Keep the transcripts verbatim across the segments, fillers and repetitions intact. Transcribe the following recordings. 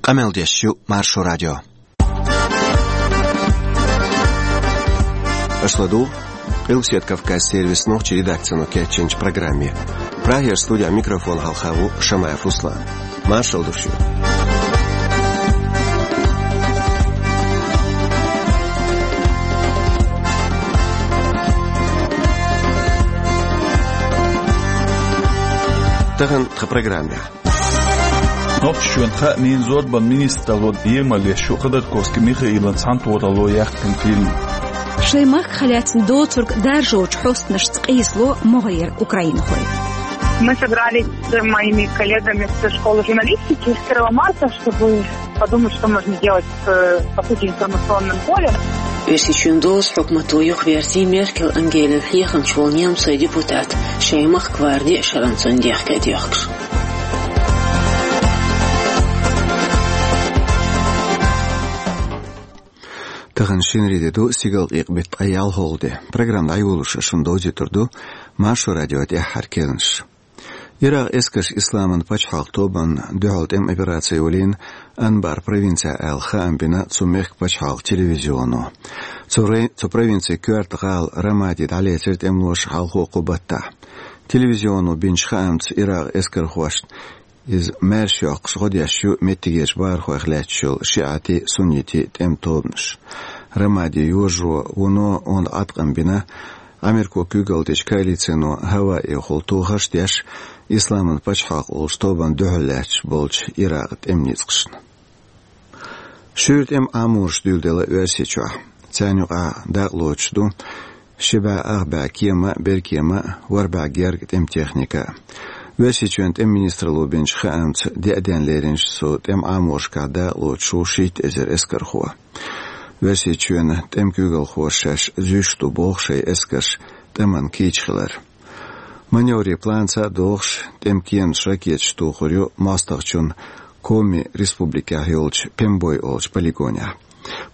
Къамел деш ю Маршо радио. Аша ладугӀу Къилбаседа Кавказан сервисан нохчийн редакцино кечйинчу программе. Прагера студин микрофона хьалха ву Шамаев Руслан. Маршалла ду шуьга. Тахана тхан программехь. Нохчийчоьнан хаамийн, зорбанан министралло емал еш ю Ходорковский Михаилан цхьаьнатохаралло яьккхина фильм. Шайн махках лаьцна доцург даржочу хьостанашца къийсало могӀарера украинхой. Мы собрались с моими коллегами со школы журналистики первого марта, чтобы подумать, что можно делать с, по сути, информационным полем. Оьрсийчоьнан доза хьукмато юхаверзий Меркель Ангелин хьехамча волу немцойн депутат, шайн махка варди шаран цунна дехка а доьхкуш. Тахана шинарин де ду, стигалкъекъа беттан ткъе ялхалгӀа де. Программа дӀайолош шуна довзуьйтур ду Маршо радион тӀаьххьара керланаш. Иракъан эскарша Исламан пачхьалкхан тобанна дуьхьал тӀеман операци йолийна Анбар провинцехь аьлла хаам бина цу мехкан пачхьалкхан телевизионо. Цу рай-, цу провинцин коьрта гӀала Рамади дӀалецира тӀемалоша хьалхо кху баттахь. Телевизионо бинчу хаамца, Иракъан эскархошна иза маьрша йоккхуш гӀо деш ю меттигерчу бахархойх лаьтташ йолу шиӀатийн, суннитийн тӀеман тобанаш. Рамади йожаро вуно онда Ӏаткъам бина Америко куьйгалла дечу коалицино хӀаваэхула тохарш а деш, Исламан пачхьалкх олучу тобанна дуьхьал лаьтташ болчу Иракъан тӀеман ницкъашна. Шуьйра тӀеман Ӏамораш дуьйладелла Оьрсийчохь. Царна юкъахь дакъалоцуш ду ши бӀе ах бӀе кема а, беркема а, ворхӀ бӀе герга тӀеман техника а. Оьрсийчоьнан тӀеман министралло бинчу хаамца, деа денна леринчу цу тӀеман Ӏаморашкахь дакъалоцуш ву шийтта эзар эскархо. Оьрсийчоьнан тӀеман куьйгалхоша шаьш зуьйш ду боху шайн эскарш тӀеман кийча хилар. Маневрийн планца а догӀуш, тӀеман кеманаш ракеташца тухур ю мостагӀчун Коми республикехь йолчу Пембой олучу полигонехь.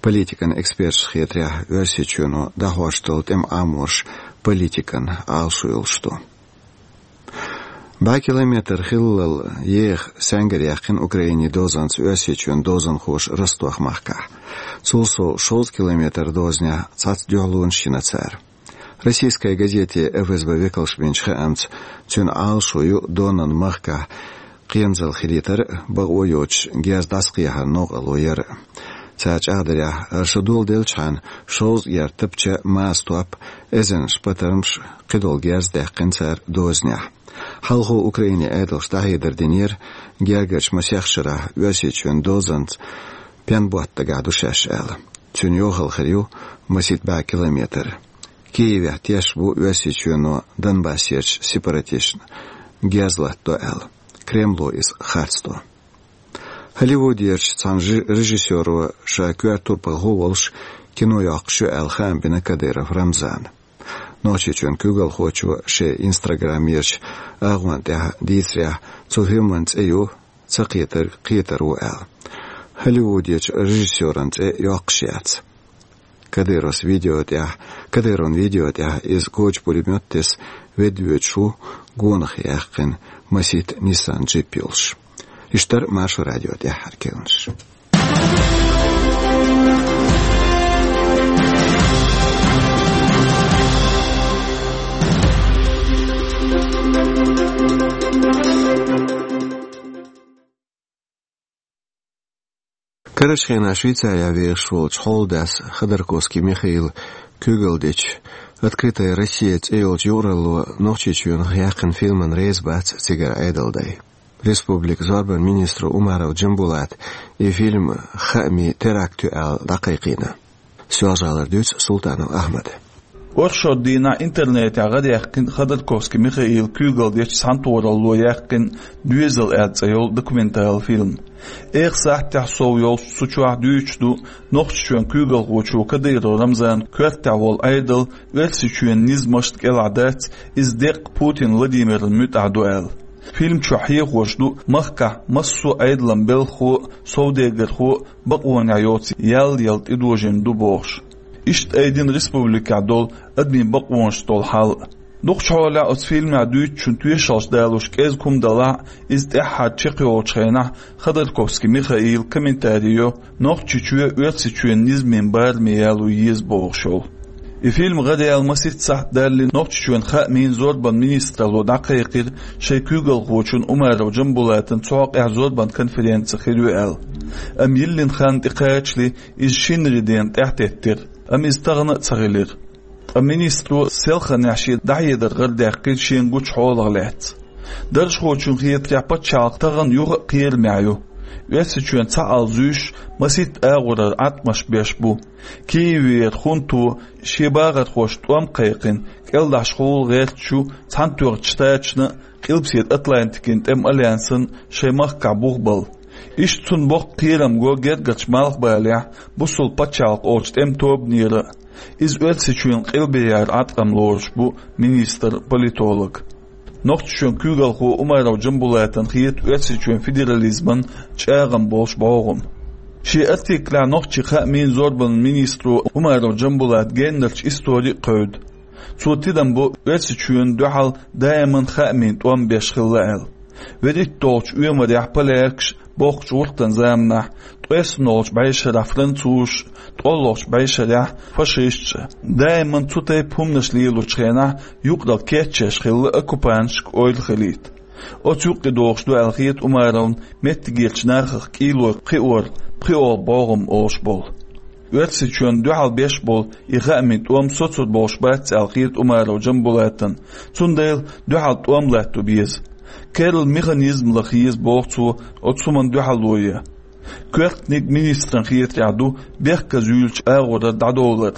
Политикан эксперташна хетарехь, Оьрсийчоьно дӀахьош долу тӀеман Ӏамораш политикан Ӏалашо йолуш ду. БӀе километр хиллал еха саьнгара яьккхина Украинин дозанца Оьрсийчоьнан дозанхоша Ростов-махкахь. Цул сов шовзткъа километр дозанехь цхьацца дуьхьалонаш йина цара. Российская газете ФСБ векалша бинчу хаамца, цуьнан Ӏалашо ю Донан махкахь кхерамзалла хилийтар а, бакъо йоцуш герз дӀасакхехьаран новкъарло яр а. Цара чӀагӀдарехь, хӀара шо доладелчхьана, шовзткъа герз тапча, маса топ, эзарнаш патармаш, кхидолу герз даьккхина цара дозанехь. Хьалхо Украинин Ӏедалша дӀахьедар динера, гергарчу масех шарахь Оьрсийчоьнан дозанца пенботта дагахь ду шаьш аьлла. Цуьнан йохалла хир ю масийтта бӀе километр. Киевехь тешаш бу Оьрсийчоьно Донбассерчу сепаратисташна герз латтадо аьлла. Кремло иза харцдо. Холливудерчу цхьана жи-, режиссёро ша коьрта турпалхо а волуш кино йоккхуш ю аьлла хаам бина Кадыров Рамзана. Нохчийчоьнан куьйгалхочо шен Instagram-ерчу агӀонна тӀехь дийцарехь, цу фильман цӀе ю «Ца кхетарг кхетар ву» аьлла. Холливудерчу режиссёран цӀе йоккхуш яц. Кадыровс видео тӀехь, Кадыровн видео тӀехь иза коча пулемёт тесна ведда воьдуш ву, гонах яьккхина масийтта Nissan джип йолуш. Иштта дара Маршо радион тӀаьххьара керланаш. Карарчу хенахь Швейцарехь вехаш волчу хьолдас Ходорковский Михаила куьйгалла дечу «Открытая Россия» цӀе йолчу юкъаралло Нохчийчоьнах яьккхина фильмана реза бац цигара Ӏедалан дай. Республикан зорбанан министро Умаров Джамбулата и фильм хаамийн теракт ю аьлла дӀакхайкхийна. Соьлжа-ГӀалара дуьйцу Султанов Ахьмада. Оршот дийнахь интернетехь гӀарадаьккхина Ходорковский Михаила куьйгалла дечу цхьаьнатохаралло яьккхина «Доьзал» аьлла цӀе йолу документалан фильм. Эха сахьтехь сов йолуш цу чохь дуьйцуш ду Нохчийчоьнан куьйгалхочо Кадыров Рамзанан коьртехь волу Ӏедал Оьрсийчоьнан низамашна кӀелахь дац, иза деккъа Путин Владимирна муьтӀахь ду аьлла. Фильм чохь хьехош ду махкахь массо а Ӏедалан белхахо а, совдегархо а бакъонехь йоцу ял яла тӀедожийна ду бохуш. Иштта айдина республикехь долу адамийн бакъонаш долу хьал а. Дукхачу хьолехь оцу фильмехь дуьйцучун тоьшаллаш далуш кӀезиг хӀума далахь а, иза тӀаьххьара чекхйолучу хенахь Ходорковский Михаила комментарий йо Нохчийчоь Оьрсийчоьнан низамийн бараме яло еза бохуш йолу. И фильм гӀараяьлла масийтта сахьт даьлла Нохчийчоьнан хаамийн, зорбанан министралло дӀакхайкхира шайн куьйгалхочун Умаров Джамбулатан цу хьокъехь зорбанан конференци хир ю аьлла. Амма йиллина хан тӀекхачале иза шинарин дена тӀаьхьатеттира, амма иза тахана а ца хилира. Ткъа министро селханехь шен дӀахьедар гӀарадаьккхира шена гучу хьолах лаьцна. Даржхочун хетарехь, пачхьалкх тахана юха а кхерамехь ю. Оьрсийчоьнан цхьаалла зуьйш масийтта агӀорара Ӏаткъамаш беш бу. Киевера хунто шен бахархошна тӀом кхайкхина, кӀелдӀахьашхула гӀерташ ю Цхьаьнатоьхначу Штаташна а, Къилбаседа Атлантикин тӀеман альянсана шайн махкахь бух балла. Иштта цунна боккха кхерам го гергарчу Малхбалехь бусалба пачхьалкх олучу тӀеман тобанера а. Иза Оьрсийчоьнан къилбехьара Ӏаткъам лоруш бу министр-политолога. Нохчийчоьнан куьйгалхо Умаров Джамбулатана хета Оьрсийчоьнан федерализман чӀагӀам болуш бӀогӀам. Шен артиклехь нохчийн хаамийн, зорбанан министро Умаров Джамбулата геннарчу истори а кхевда. Цо тидам бо Оьрсийчоьнна дуьхьал даиман хаамийн тӀом беш хилла аьлла. ВуьрхӀитталгӀачу оьмарехь полякаш, бохкучу гӀуртан заманахь, ткъеснолгӀачу бӀешарахь французаш, ткъолгӀачу бӀешарехь фашисташ, даиман цу тайпа хӀуманаш лелочу хенахь юкъаралла кечъеш хилла оккупанташка ойла хилийта. Оцу юккъе догӀуш ду аьлла хета Умаровна меттигерчу нахах кӀийлой кхиор, пхиолгӀа бӀогӀам олуш болу. Оьрсийчоьнна дуьхьал беш болу и хаамийн тӀом соцур болуш бац аьлла хета Умаров Джамбулатана, цундела дуьхьал тӀом латто беза. Керла механизм лаха еза боху цо оцу хӀуманна дуьхьало ян. Коьртаниг министран хетарехь ду бехказа юьйлучу агӀорара дӀадовлар.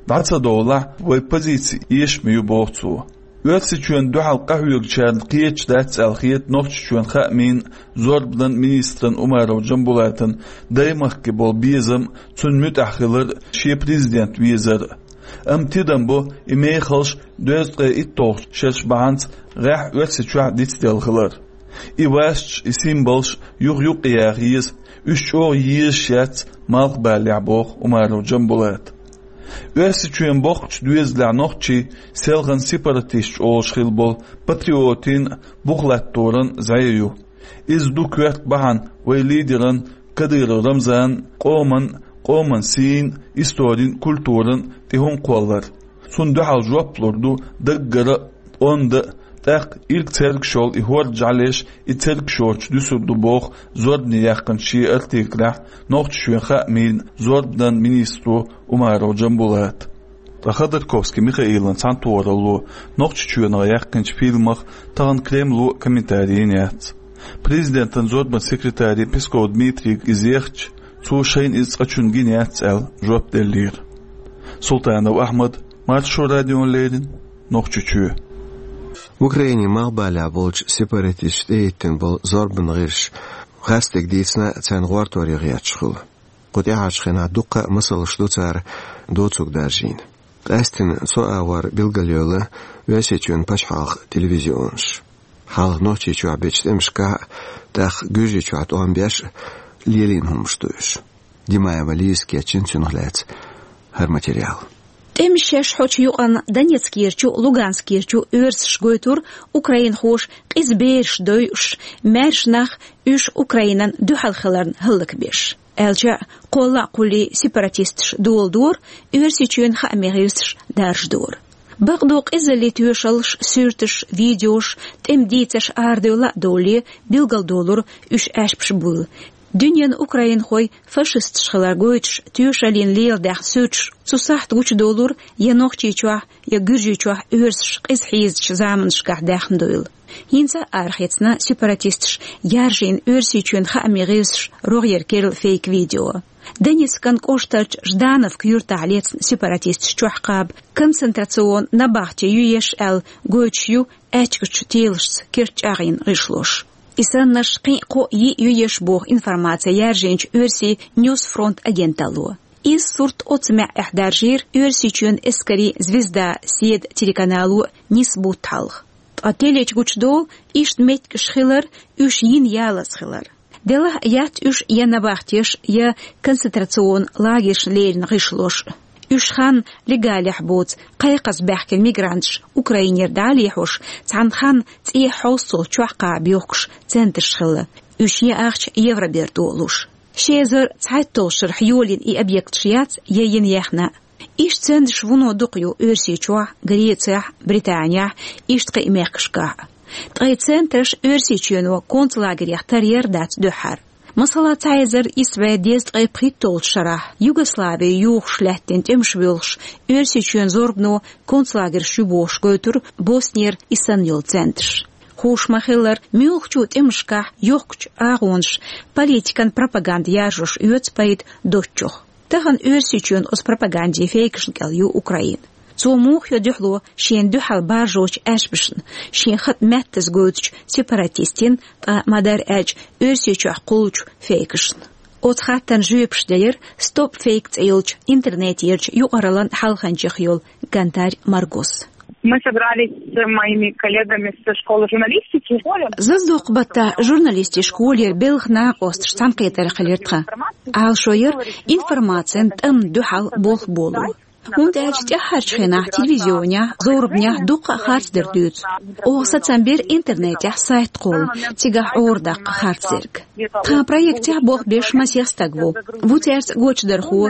ДӀа ца довлахь, вай позици эшаме ю боху цо. Оьрсийчоьнна дуьхьал къахьоьгучарна кхеташ дац аьлла хета Нохчийчоьнан хаамийн, зорбанан министран Умаров Джамбулатана даймахке болу безам, цунна муьтӀахь хилар, шен президент везар. Амма тидам бо и мехалш дезткъе итталгӀачу шераш бахьанца гӀеххьа Оьрсийчохь дицделла хилар. И васаш, и символаш юха юккъе яха еза, уьш чӀогӀа езаш яц Малхбалехь, боху Умаров Джамбулата. Оьрсийчоьнан боккхачу доьзалехь нохчий селхана сепаратисташ олуш хилла болу патриотийн, бух латторан зӀе ю. Иза ду коьрта бахьана вай лидеран Кадыров Рамзанан, къоман, къоман сийна, историн, культуран тӀе хӀума кхоллар. Цунна дуьхьал жоп лур ду даггара а, онда а, тӀаккха ирг цергаш йолу и хӀорда жӀаьлеш, и цергаш йоцуш дуьсур ду, боху зорбане яьккхинчу шен артиклехь Нохчийчоьнан хаамийн, зорбанан министро Умаров Джамбулата. Ткъа Ходорковский Михаилан цхьаьнатохаралло Нохчийчоьнах яьккхинчу фильмах тахана Кремло комментари йина яц. Президентан зорбанан секретаре Песков Дмитрийга иза ехча, цо шайна иза цкъачунна гина яц аьлла, жоп деллера. Султанов Ахьмад, Маршо радиона леррина, Нохчийчоь. Украинин малхбалехь болчу сепаратисташа тӀехӀиттина болу зорбанан гӀирсаш гӀазкхига дийцина, царна гӀортор ян гӀерташ хуьлу. Кху тӀаьхьарчу хенахь дуккха а масалш ду цара доцург даржийна. Къаьсттина цу агӀор билгалйойла Оьрсийчоьнан пачхьалкхан телевизионаш. Хьалха Нохчийчохь бечу тӀемашкахь а, тӀаккха Гуьржийчохь тӀом беш а лелийна хӀуманаш ду уьш. Димаева Лизас кечйина цунах лаьцна хӀара материал. ТӀемаш шаьш хьочу юкъанна Донецкерчу, Луганскерчу оьрсаша гойтура украинхоша къиза бераш дойуш, маьрша нах уьш Украинан дуьхьал хиларна хӀаллакбеш. Аьлча а, кхолла а кхуллий сепаратисташ доладора, Оьрсийчоьнан хаамийн гӀирсаш даржадора. Бакъду, къизаллин тоьшаллаш, суьрташ, видеош, тӀеман дийцарш арадевлла а довлий, билгалдолура уьш аьшпаш буйла. Дуьненан украинхой фашисташ хилар гойтуш, тоьшаллина леладаьхна суьрташ цу сахьта гучудолура я Нохчийчохь, я Гуьржийчохь оьрсаш къиза хьийзачу заманашкахь даьхна дуйла. ХӀинца а арахецна сепаратисташа яржийна Оьрсийчоьнан хаамийн гӀирсаша рогӀера керла фейк-видео. Донецкан кӀоштарчу Ждановка юьртахь лецна сепаратисташа чохь кхаба концентрацион набахте ю еш аьлла гойтуш ю аьчкачу телашца керт чӀагӀйина гӀишлош. И саннарш кхин а кхо-йиъ ю еш боху информаци яржийначу оьрсийн Ньюсфронт агенталло. Иза сурт оццу маьӀӀехь даржийра Оьрсийчоьнан эскарийн Звезда седа телеканало нисса бутт хьалха. Ткъа телечу гучудолу иштта меттигаш хилар, уьш йина ялаза хилар. Делахь а яц уьш я набахтеш, я концентрацион лагершна леррина гӀишлош. Уьш хан легалехь боцу кхайкхаза баьхкина мигранташ Украинера дӀа а лехьош, цхьана хан цӀе хьовсцалц чохь кхаба йохкуш центраш хилла. Уьш яахча Евроберто луш. Ши эзар цхьайтталгӀачу шарахь йолийна и объекташ яц я йина яьхна. Иштта центраш вуно дукха ю Оьрсийчохь, Грецехь, Британехь, иштта кхин а мехкашкахь. Ткъа и центраш Оьрсийчоьно концлагерех тар яр дац дуьххьара. Масала, цхьа эзар исс бӀе дезткъе пхийтталгӀачу шарахь Югослави юхуш лаьттина тӀемаш боьлхуш, Оьрсийчоьнан зорбано концлагерш ю бохуш гойтура Боснера и санна йолу центраш. Хууш ма-хиллара, муьлххачу тӀемашкахь йохкучу агӀонаш политикан пропаганда яржош оьцу пайда доцучух. Тахана Оьрсийчоьнан оцу пропагандин фейкашна кӀел ю Украина. Цо муха йо дуьхьало шена дуьхьал баржочу аьшпашна, шен хатӀ меттаза гойтучу сепаратистийн, ткъа ма-дарра аьлча, Оьрсийчохь кхуллучу фейкашна? Оцу хаттарна жоьпаш делира «Стоп фейк» цӀе йолчу интернетерчу юкъараллин хьалханчех йолу Гантарь Маргос. Мы собрались с моими коллегами со школы журналистики. Зазадоккху баттахь журналистийн школера белхан накъосташ цхьаьнакхетарехь хилира тхан. Ӏалашо яра информацин тӀамна дуьхьал болх боло. ХӀунда аьлча тӀаьххьарчу хенахь телевизионехь, зорбанехь дуккха а харцдар дуьйцу. Оха сацам бира интернетехь сайт кхолла, цигахь Ӏора даккха харцдерг. Тхан проектехь болх беш масех стаг ву. Ву цаьрца гочдархо,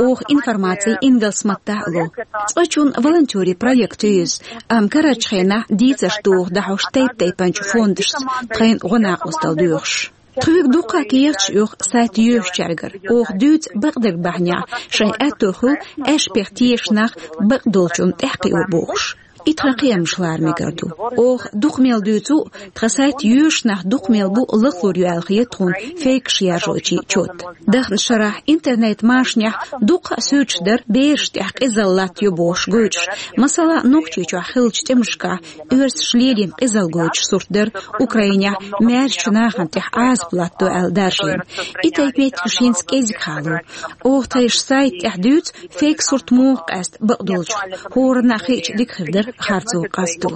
оха информаци ингалс маттахь а ло. Цкъачунна волонтерийн проект ю иза, амма карарчу хенахь дийцарш доху дӀахьош тайп-тайпанчу фондашца тхайна гӀо-накъосталла доьхуш. Тхоьга дуккха а кехаташ оьху сайт йоьшучаьргара. Оха дуьйцу бакъдерг бахьанехь, шайн аьтто хуьлу аьшпех тешаш нах бакъдолчунна тӀаьхьакхио бохуш. И тхан кхиамаш лара мегар ду. Оха дукха мел дуьйцу, тхан сайт йоьшуш нах дукха мел бу лахлур ю аьлла хета тхуна фейкаш яржочийн чот. Даханчу шарахь интернет-машанехь дуккха а суьрташ дара берашна тӀехь къизалла латтайо бохуш гойтуш. Масала, Нохчийчохь хиллачу тӀемашкахь оьрсаша лелийна къизалла гойтуш сурт дара, Украинехь маьршачу нахана тӀехь Ӏазап латтадо аьлла даржийна. И тайпа меттигаш хӀинца кӀезиг хьалу. Оха тхайн сайта тӀехь дуьйцу, фейк сурт муха къаьста бакъдолчух, хӀоранна а хиъча дика хир дара харцо къасто.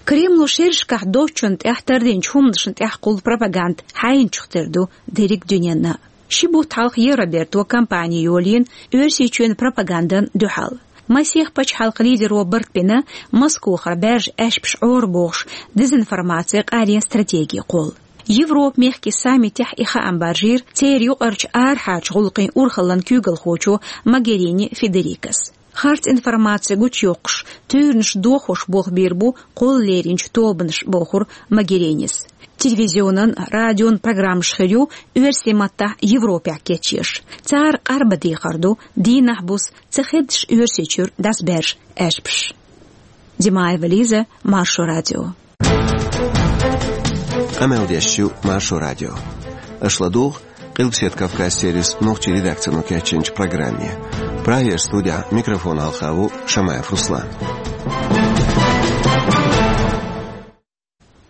Кремло шерашкахь доцчунна тӀехь тардинчу хӀуманашна тӀехь кхуллу пропаганда хьайначух тера ду дерриг дуьненна. Ши бутт хьалха Евроберто кампани йолийна Оьрсийчоьнан пропагандан дуьхьал. Масех пачхьалкхан лидеро барт бина Москохара баьржа аьшпаш Ӏора бохуш дезинформаци къарен стратеги кхолла. Европа-мехкийн саммитехь и хаам баржийра церан юкъарчу арахьарчу гӀуллакхийн урхаллин куьйгалхочо Могерини Федерикас. Харц информаци гучуйоккхуш, туьйранаш дохош болх бийр бу кхолла леринчу тобанаш, бохура Могеринис. Телевизионан, радион программаш хир ю оьрсийн маттахь Европехь кечъеш. Цара къарбан дехар ду, дийнахь-буса ца хеддаш Оьрсийчуьра дӀасабаьржа аьшпаш. Димаева Лиза, Маршо радио. Къамел деш ю Маршо радио. Аша ладугӀу Къилбаседа Кавказ сервисан нохчийн редакцино кечйинчу программе. Прагера студехь микрофон хьалха ву Шамаев Руслан.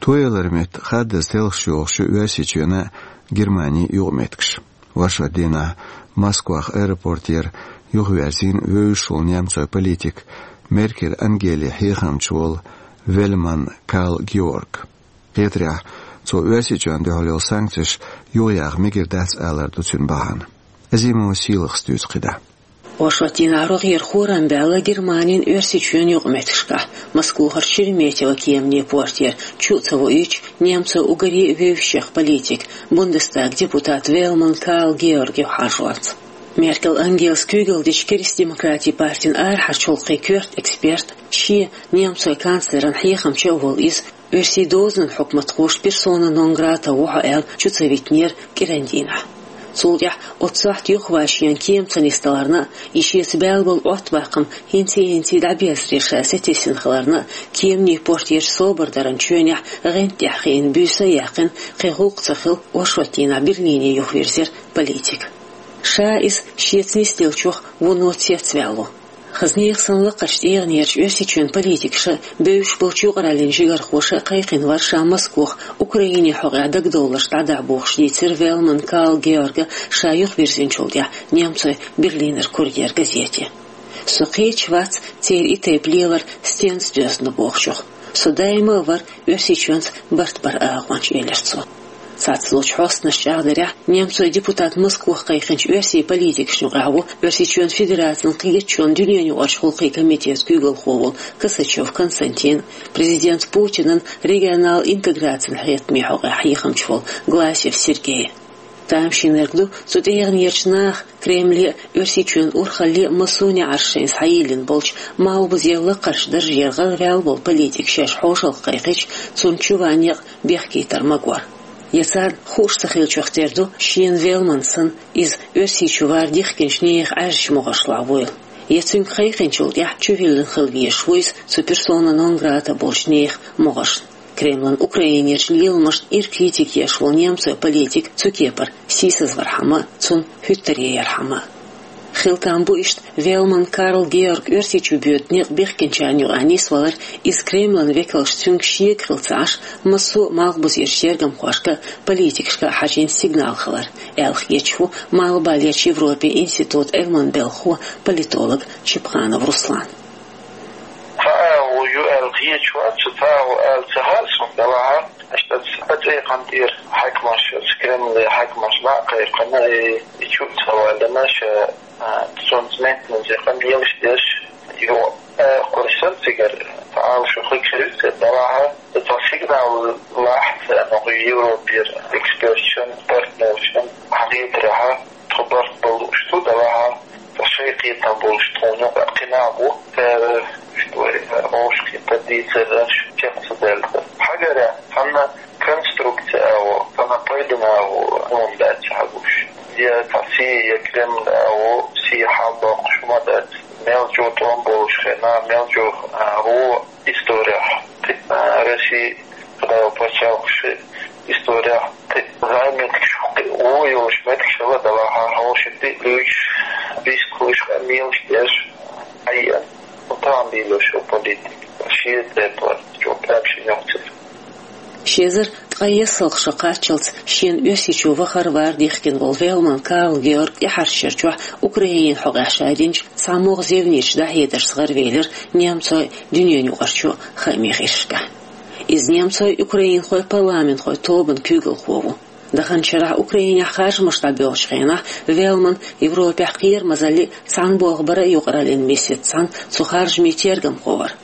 Тояларан метта хаддаза телхаш йохуш ю Оьрсийчоьнан а, Германин а юкъаметтигаш. Оршот дийнахь Москвахь аэропортера юхаверзийна вевзаш волу немцойн политик, Меркель Ангелин хьехамча волу Вельман Карл Георг. Хетарехь, цо Оьрсийчоьнна дуьхьал йолу санкцеш юхаяха мегар дац алар ду цуьнан бахьана. Азимова Сийлахас дуьйцу кхидӀа. Оршот дийнахь рогӀера хӀораммо баьлла Германин, Оьрсийчоьнан юкъаметтигашкахь, Москохара Шереметьево кеманийн портера, чу а ца воуьйтуш, немцойн уггаре а вевзачех политик, Бундестаган депутат Вельман Карл Георг юхахьажонца. Меркель Ангелас куьйгалла дечу Кристдемократийн партин арахьарчу гӀуллакхийн коьрта эксперт, шен, немцойн канцлеран хьехамча а волу иза, оьрсийн дозанан хьукматхоша персона нон грата ву хьо аьлла чу ца витинера кӀиран дийнахь. Цул тӀаьхьа оццу сохьта юхаван шена кема ца нисдаларна а, и шеца баьлла болу Ӏоттабаккхам хӀинций-хӀинций дӀаберзаре ша сатийсина хиларна а, кеманийн портерчу собар даран чоьнехь гӀанта тӀехь хиъна буьйса а яьккхина, кхин гӀуллакх ца хилла, оршот дийнахь Берлине юхавирзира политик. Ша иза шеца нисделлачух вуно цецваьлла ву. Хаза нехан санна лакхарчу тӀегӀанерчу Оьрсийчоьнан политикаша, бевзаш болчу юкъараллин жигархоша кхайкхина вара ша Москох Украинин хьокъехь дагадовларш дӀадахьа бохуш, дийцира Вельман Карл Георга ша юхавирзинчул тӀаьхьа немцойн Берлинер Курьер газете. Со кхеташ вац церан и тайпа лелар стенца доьзна ду бохучух. Со даима а вара Оьрсийчоьнца барт баран агӀонча, элира цо. Цхьацца долчу хьостанаша чӀагӀдарехь, немцойн депутат Москвахь кхайкхинчу оьрсийн политикашна юкъахь ву Оьрсийчоьнан Федерацин кхеташонан дуьненаюкъарчу гӀуллакхийн комитетан куьйгалхо волу Косачев Константин, президент Путинан регионал интеграцин хьехамийн хьокъехь хьехамча волу Гласев Сергей. Тамашийнарг ду цу тӀегӀанерчу наха Кремле а, Оьрсийчоьнан урхалле а массо а неӀарш шайна схьайиллина болчу, малхбузера лакхарчу даржера гӀараваьлла волу политик шаьш хьошалгӀа кхайкхича, цунна чу ван некъ бехкийтар магор. Я царна хууш ца хиллачух тера ду, шена Велманна санна, иза Оьрсийчу вар дихкинчу нехан Ӏаьржачу могӀаршлахь вуйла. Я цуьнга кхайкхинчул тӀаьхьа чувиллина хила везаш ву иза цу персона нон грата болчу нехан могӀаршна. Кремлан Украинерчу леламашна ира критика еш волу немцойн политик цу кепара сийсазвархьама а, цунна хӀуьттаре ярхьама а. Хила там бу иштта Велман Карл Георг Оьрсийчу боьду некъ бехкинчарна юкъахь нисвалар, иза Кремлан векалша цуьнга шега хила ца Ӏаш, массо а малхбузерчу тергамхошка а, политикашка а хьажийна сигнал хилар, аьлла хеташ ву Малхбалерчу Европин институтан Ӏилманан белхахо, политолог Чепханов Руслан. Цхьа агӀо ю аьлла хеташ вац, цхьа агӀо ала ца хаьа суна, делахь а, аша аса цӀе кхантӀера хьаькамаш, аса Кремле хьаькамаш дӀа а кхайкхина, и, и чу а ца валина, ша, а, цунца меттаназа кхам елаш деш, ю, а, кхуьрсан цигара, цхьа агӀо шу хиг хир ю церан, делахь а, цхьа сигнал лахьа царна, хӀокху Европера эксперташна, партнершна хьахетарехь, тхо барт бан лууш ду, делахь а, ткъа шайн кхетам болуш тхуна кхин нах бу, цара, что, вовшахкхетар дийцар аша чекх ца даьлла. Хьагарехь, цхьана конструкция агӀо, цхьана пайдана агӀо хӀума дац хьагуш. Я цхьа сий, я Кремль агӀо, сий хьалдоккхуш хӀума дац. Мел чӀогӀа тӀом болуш хенахь, мел чӀогӀа, а, гӀо исторехь, а, Росси, кхидӀа пачхьалкхаш исторехь, кхин зӀе меттигаш, кхин вон йолуш меттигаш хилла, делахь а, хьошалгӀа луьйчу, бийсакхуьлуш къамелаш деш, хьаеана. Тахана лелош йолу политика, шен тӀе платить, чӀогӀа прям шен йоккхуш. Ши эзар ткъе ялх шо кхаччалц шена Оьрсийчу вахар-вар дихкина волу Велман Карл Георг тӀаьхьарчу шарчохь Украинин хьокъехь ша динчу цхьа могӀа зевнечу дӀахьедаршца гӀаравелира немцойн, дуьненаюкъарчу хаамийн гӀирсашкахь. Иза немцойн, украинхойн парламентхойн тобанан куьйгалхо ву. Даханчу шарахь Украинехь харжамаш дӀабоьлхучу хенахь Велман Европехь кхерамазаллин, цхьаьна болх баран а юкъараллин месеццахь цу харжамийн тергамхо вара.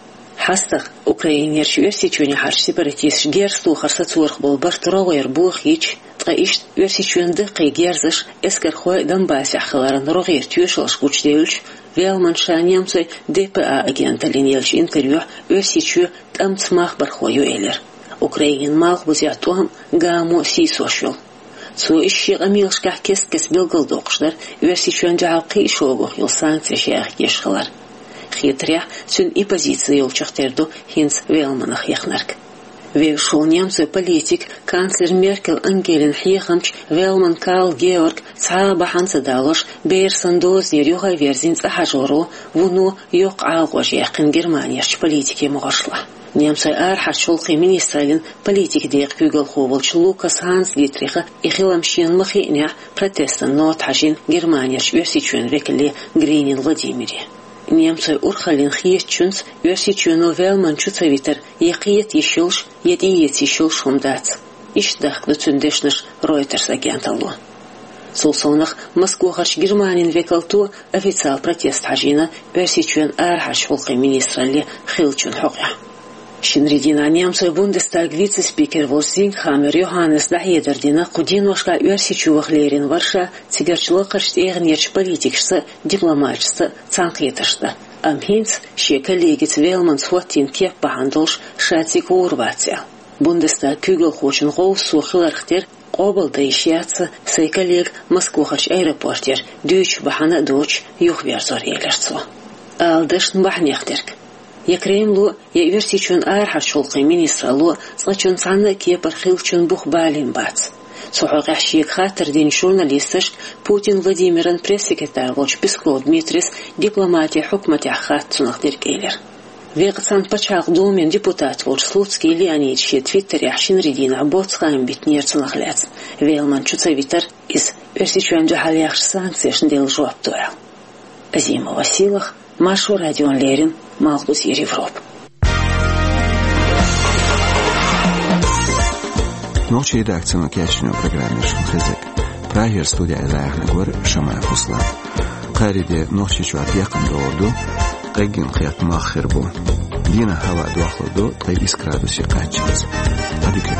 ХьастагӀа Украинерчу Оьрсийчоьнехьарчу сепаратисташа герз тохар сацорах болу барт рогӀера бохийча, ткъа иштта Оьрсийчоьнан даккхий герзаш эскархойн Донбассехь хиларан рогӀера тоьшаллаш гучудевлча, Велман ша немцойн Д П А агенталлина еллачу интервьюхь Оьрсийчоь тӀамца махбархо ю элира. Украинан малхбузехь тӀом а, гамо а сийсош йолу. Цо иза шен къамелашкахь кест-кеста билгалдоккхуш дара Оьрсийчоьнна дуьхьал кхин а шогах йолу санкцеш яхийтеш хилар. Хетарехь, цуьнан и позици йолчух тера ду хӀинца Велманах яхнарг. Вевзаш волу немцойн политик, канцлер Меркель Ангелин хьехамча Велман Карл Георг цхьа а бахьана ца далош, бер санна дозанера юхаверзина цӀа хьажоро, вуно йоккха Ӏалакъаш яьккхина Германерчу политикийн могӀаршлахь. Немцойн арахьарчу гӀуллакхийн министраллин политикан декъан куьйгалхо волчу Лукас Ханс Дитриха и хилам шена ма хиънехь, протестан нота хьажийна Германерчу Оьрсийчоьнан векале Гринин Владимире. Немцойн урхаллина хетачуьнца Оьрсийчоьно Велман чу ца витар я кхета йиш йолуш, я тӀеэца йиш йолуш хӀума дац. Иштта дахка ду цуьнан дешнаш Reuters агенталло. Цул совнах Москвахарчу Германин векалто официал протест хьажийна Оьрсийчоьнан арахьарчу гӀуллакхийн министралле хиллачун хьокъехь. Шинарин дийнахь немцойн Бундестаган вице-спикер волчу Зингхаммер Йоханнеса дӀахьедар дина кху деношкахь Оьрсийчу ваха лерина вара ша цигарчу лакхарчу тӀегӀанерчу политикашца а, дипломаташца а цхьаьнакхетарш дан. Амма хӀинца шен коллегаца Велманца хӀоттийна кеп бахьана долуш ша цига гӀур вац аьлла. Бундестаган куьйгалхочун гӀовсо хиларх тера къобалдан йиш яц сайн коллега Москвахарчу аэропортера дуьйцучу бахьана а доцуш юхаверзор, элира цо. Ала дашна бахьанех дерг. Я Кремло, я Оьрсийчоьнан арахьарчу гӀуллакхийн министралло цкъачунна цхьанна а кепара хиллачун бух балийна бац. Цу хьокъехь шега хаттар динчу журналисташка Путин Владимиран пресс-секретарь волчу Песков Дмитрис дипломатин хьукматехь хатта цунах дерг элира. Векъа цхьана Пачхьалкхан Думин депутат волчу Слуцкий Леонида шен твиттерехь шинарин дийнахь боццу хаам битинера цунах лаьцна, Велман чу ца витар, иза Оьрсийчоьнна дуьхьал яхачу санкцешна делла жоп ду аьлла. Азимова Силах, Маршо радиона леррина, Малхбузера Европа. Нохчийн редакцино кечйина программа шуна хезарг. Прагера студехь лаьцнарг вара Шамаев Руслан. Кхаарин де Нохчийчохь декхар догӀур ду, къеггина кхетта мах хир бу. Дийнахь хӀаваъ дохлур ду ткъе исс градусе кхаччалц. Ӏадика.